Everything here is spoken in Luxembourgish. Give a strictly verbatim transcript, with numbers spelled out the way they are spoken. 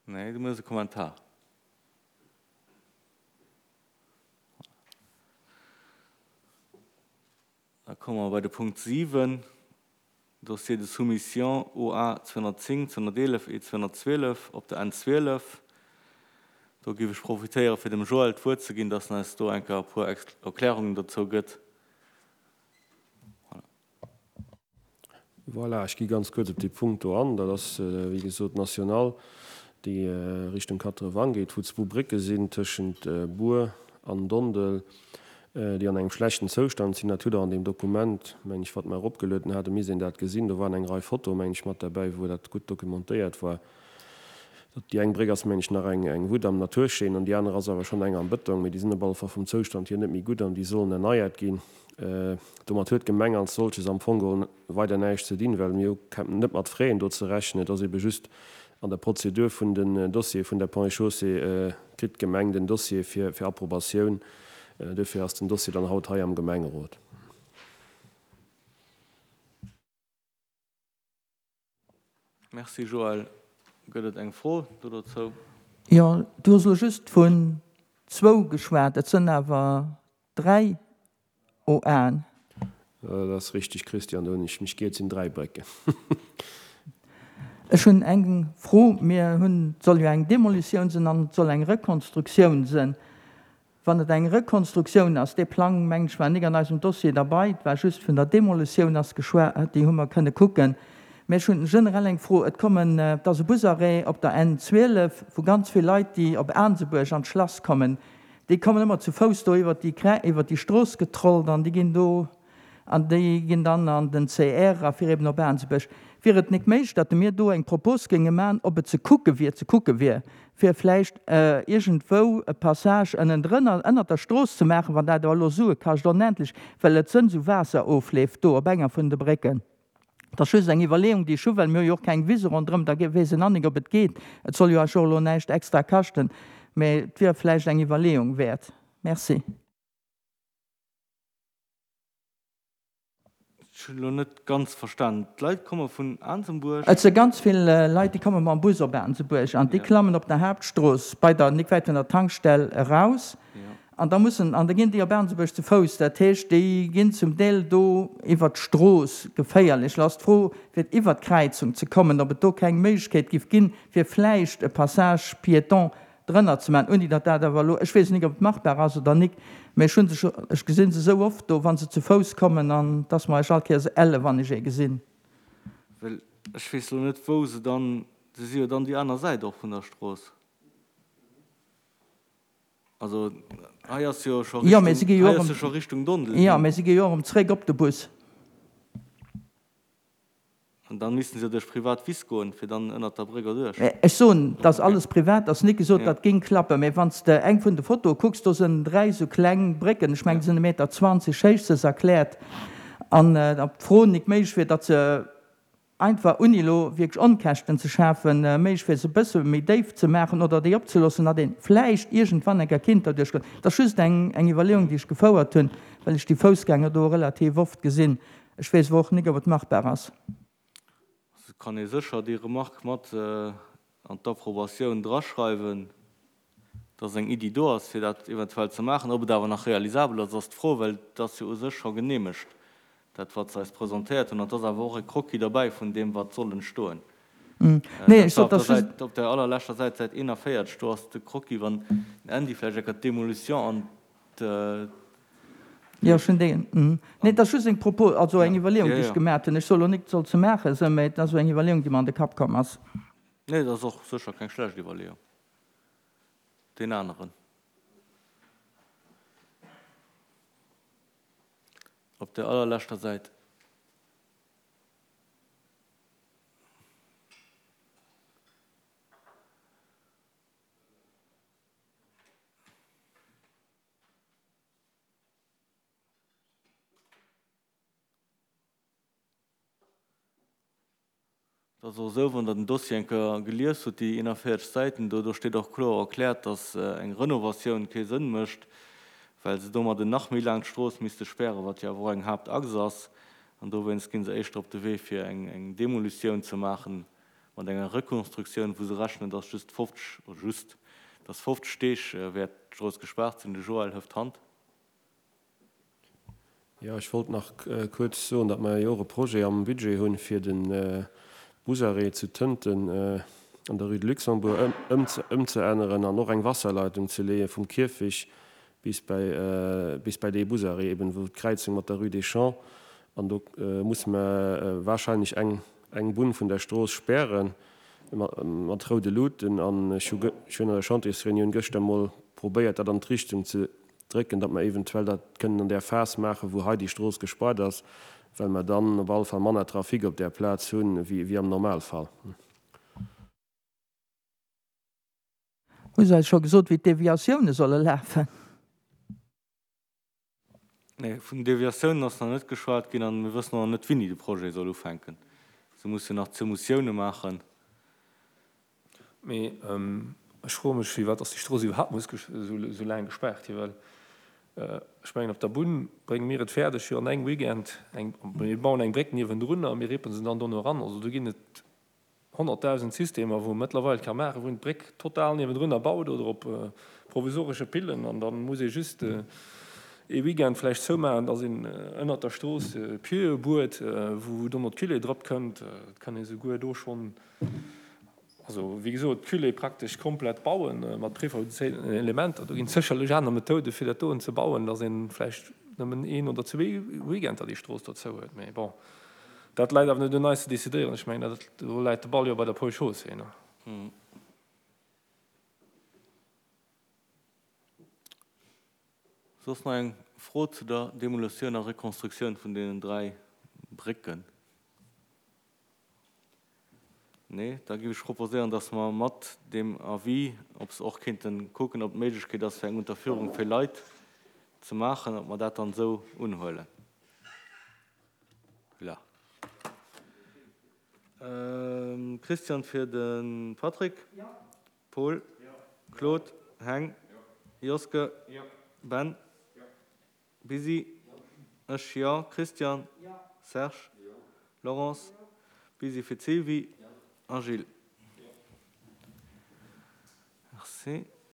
Nee, du méchs e Kommentar. Da komme mer bei de Punkt siwen, Dossier de soumission O A zweehonnertzéng, zweehonnerteelef et zweehonnertzwielef op der N zwielef. Do géif ech profitéieren, fir dem Joël d'Wuert ze ginn, dass en eis do eng Kéier e puer Erklärungen dozou gëtt. Voilà, ech gi ganz kuerz op dee Punkt do an. Dat ass, wéi gesot, d'Nationale, déi Richtung Quatre-Vents geet, wou zwou Brécke sinn tëschent Bur an Dondel, déi an engem schlechten Zoustand sinn. Dat hutt Der an deem Dokument, meng ech, wat mer eropgelueden haten, misst een dat gesinn. Do waren eng Rei Fotoe, meng ech, mat derbäi, wou dat gutt dokumentéiert war. Déi eng Bréck ass, meng ech, nach eng eng Wutt am Naturscheen an déi aner ass awer schonn eng am Bëtong. Mee déi sinn op alle Fall vum Zoustand hier net méi gutt an déi sollen erneiert ginn. Domat huet d'Gemeng als solches am Fong geholl weider näischt ze dinn, well mir hu net mat Fräen do ze rechnen. Et ass ebe just an der Prozedur vun den Dossiere vun der Ponts et Chaussées kritt d'Gemeng den Dossier fir fir Approbatioun. Duerfir ass den Dossier dann haut hei am Gemengerot. Merci Joël. Gëtt et eng Fro do dozou? Jo, du hues elo just vun zwou geschwat, et sënn awer dräi O Aen. Dat ass richtig, Christian, do hunn ech mech giert, et sinn dräi Brécken. Ech hunn eng Fro. Mir hunn, et soll jo eng Demolitioun sinn an et soll eng Rekonstruktioun sinn. Wann et eng Rekonstruktioun ass, dee Plang, mengen ech, war nik an eisem Dossier derbei, et war just vun der Demolitioun ass geschwat, déi hu mer kënne kucken. Mä ech hunn generell eng Fro. Et kommen, et ass e Busarrêt op der N zwielef, wou ganz vill Leit, déi op Aansebuerg an d'Schlass kommen, déi kommen ëmmer zu Fouss do iwwert déi Krä, iwwert déi Strooss getrollt an déi ginn do, an déi ginn dann an den C R a fir eben op Aansebuerg. Wier et nik méiglech, datt mir do eng Propos géinge man, ob et ze kucke wier, ze kucke wier, fir vläicht iergendwou e Passage ënnendrënner, ënnert der Strooss ze maachen, wann dat awer elo Sue kascht onendlech, well et sënn esou Waasserofleef do op enger vun de Brécken. Dat ass just eng Iwwerleeung, déi ech hu, well mir hu jo och keng Wise ronderëm, da weess een nach nik, ob et geet. Et soll jo eis och elo näischt extra kaschten, mä et wier vläicht eng Iwwerleeung wäert. Merci. Ech hunn elo net ganz verstanen. D'Leit komme vun Aansebuerg? Et si ganz vill Leit, déi komme mam Bus op Aansebuerg an déi klammen op der Haaptstrooss bei der, nik wäit vun der Tankstell eraus an da mussen, an da ginn déi op Aansebuerg zu Fouss. Dat heescht, déi ginn zum Deel do iwwert d'Strooss, geféierlech. Lo ass d'Fro, fir iwwert d'Kräizung ze kommen, ob et do keng Méiglechkeet giff ginn, fir vläicht e Passage piéton drënner ze maachen, ouni datt dat awer elo, ech weess nik, ob et machbar ass oder nik, mä ech hu se scho, ech gesi se esou oft do, wa se zu Fouss kommen, an et ass mer eis all Kéiers elle, wann ech ee gesinn. Well ech weess elo net, wou se dann, se si jo dann déi aner Säit och vun der Strooss. Also hei ass jo scho Jo, mä si Richtung, gi jo hei och ass jo erëm, scho Richtung Dondel jo, hin. mä si gi jo och erëm zréck op de Bus. An dann missten se jo duerch privat Wiss goen, fir dann ënnert der Bréck erduerch. Ech soen, 't ass Okay. alles privat, ass nik gesot, Ja. dat géing klappen. Mä wann s de eng vun de Fotoe kucks, do sënn dräi sou kleng Brécken, ech mengen, Ja. déi sënn e Meter zwanzeg héich, se ass erkläert. An ob d'Fro nik méiglech wier, datt se einfach, ouni elo wierklech Onkäschten ze schafen, méiglech wier, se e bësse méi déif ze maachen oder déi opzeloossen, datt ee vläicht iergendwann eng Kéier kinnt derduerch goen. Dat ass just eng, eng Iwwerleeung, déi ech gefouert hunn, well ech déi Foussgänger do relativ oft gesinn. Ech weess awer och nik, ob et machbar ass. Et kann ee sécher déi Remarque mat an d'Approbatioun draschreiwen, dass eng Iddi do ass, fir dat eventuell ze maachen. Ob et awer nach realisabel ass, ass d'Fro, well et ass jo u sech scho geneemegt, dat wat se eis presentéiert hunn. An et ass awer och e Croquis derbäi vun deem, wat soll entstoen. Nee, Dat ech war sot, op der dass just. Säit, op der allerleschter Säit, Säit eenanvéierzeg, do ass de Croquis, wann den Andy vläicht eng Kéier d'Demolition an d'. Jo, ech hunn déi. Nee, et ass just eng Propos, also Ja, eng Iwwerleeung, ja, déi ech ja. gemaat hunn. Ech soe lo nik, et soll ze maache sinn, mä et ass esou eng Iwwerleeung, déi mer an de Kapp komm ass. Nee, dat ass och sécher keng schlecht Iwwerleeung. Deen aneren. Op der allerleschter Säit. Et ass och esou, wann Der den Dossier eng Kéier gelies hutt, déi eenanvéierzeg Säiten do, do steet och kloer erkläert, dass eng Renovatioun kee Sënn mécht, well se domadden nach méi laang d'Strooss misste spären, wat jo awer och eng Haaptachs ass. An dowéinst gi se éischter op de Wee, fir eng Demolitioun ze maachen, mat enger Rekonstruktioun, wou se rechnen, dass just fofzeg, oder just, dass fofzeg Deeg wäert d'Strooss gespaart sinn. De Joël hëft d'Hand. Jo, ech wollt nach kuerz soen, datt mer jo och e Projet am Budget hunn, fir de Busarrêt zu Tënten an der Rue de Luxembourg ëmzeänneren an och eng Wasserleitung ze leeë vum Kierfich bis bäi bis bäi dee Busarrêt eben, wou d'Kräizung mat der Rue des Champs. An do musse mer wahrscheinlech eng eng Bunn vun der Strooss späre mat roude Luuten. An ech hu ech hunn an der Chantiers-Reunioun gëschter emol probéiert, dat an d'Richtung ze drécken, datt mer eventuell dat kënnen an där Phas maachen, wou hei déi Strooss gespaart ass, well mer dann op alle Fall manner Trafic op där Plaz hunn, wéi am Normalfall. Hu se eis scho gesot, wéi d'Deviatioune solle lafen? Nee, vun Deviatiounen ass nach net geschwat ginn an mir wëssen och nach net, wéini de Projet soll ufänken. Se mussen nach d'Soumissioune maachen. Mee ech froe mech, firwat dass déi Strooss iwwerhaapt muss esou laang gespaart ginn, well ech mengen, op der Bunn brénge mir et fäerdeg, fir an engem Weekend eng, mir bauen eng Bréck niewendrun a mir rippen se dann dono eran. Also do ginn et honnertdausend Systemer, wou ee mëttlerweil ka maachen, wou een d'Bréck total niewendrun erbaut oder op provisoresche Pillen an da muss ee just ee Weekend vläicht zoumaachen, dass een ënnert der Strooss Pieuxe buert, wou dono d'Cullée drop kënnt. Et kann ee souguer do schonn, also wéi gesot, d'Cullée praktesch komplett bauen mat prefabrizéierten Elementer. Do ginn et sécherlech aner Methoden, fir dat doen ze bauen, dass ee vläicht nëmmen een oder zwee Weekender déi Strooss do zou huet. Mee bon, dat läit awer net un eis ze decidéieren. Ech mengen, dat, do läit de Ball jo bei der Ponts et Chaussées. Soss nach eng Fro zu der Demolutioun a Rekonstruktioun vun deenen dräi Brécken? Nee? Da géif ech proposéieren, dass mer mat deem Avis, ob se och kéinte kucken, ob d'Méiglechkeet ass, fir eng Unterführung fir Leit ze maachen, ob mer dat dann esou unhuelen. Voilà. Christian fir de Patrick. Paul. Claude. Heng. Joske. Ben. Busy. Ech, jo. Christian. Serge. Laurence. Busy fir d'Sylvie. A Gilles. Merci.